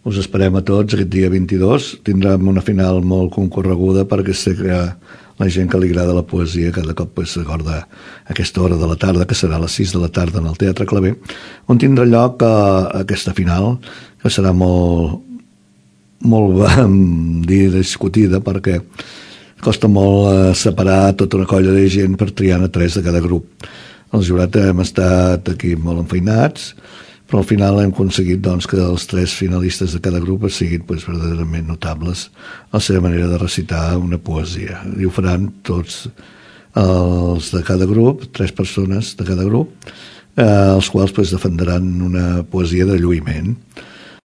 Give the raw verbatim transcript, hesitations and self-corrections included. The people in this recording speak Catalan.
us esperem a tots aquest dia vint-i-dos. Tindrem una final molt concorreguda perquè sé que la gent que li agrada la poesia cada cop pues, s'acorda aquesta hora de la tarda, que serà a les sis de la tarda en el Teatre Claver, on tindrà lloc uh, aquesta final, que serà molt, molt vam dir, discutida, perquè costa molt uh, separar tota una colla de gent per triar a tres de cada grup. El jurat hem estat aquí molt enfeinats, però al final hem aconseguit doncs, que els tres finalistes de cada grup siguin pues, verdaderament notables a la seva manera de recitar una poesia. I ho faran tots els de cada grup, tres persones de cada grup, eh, els quals pues, defenderan una poesia de lluïment.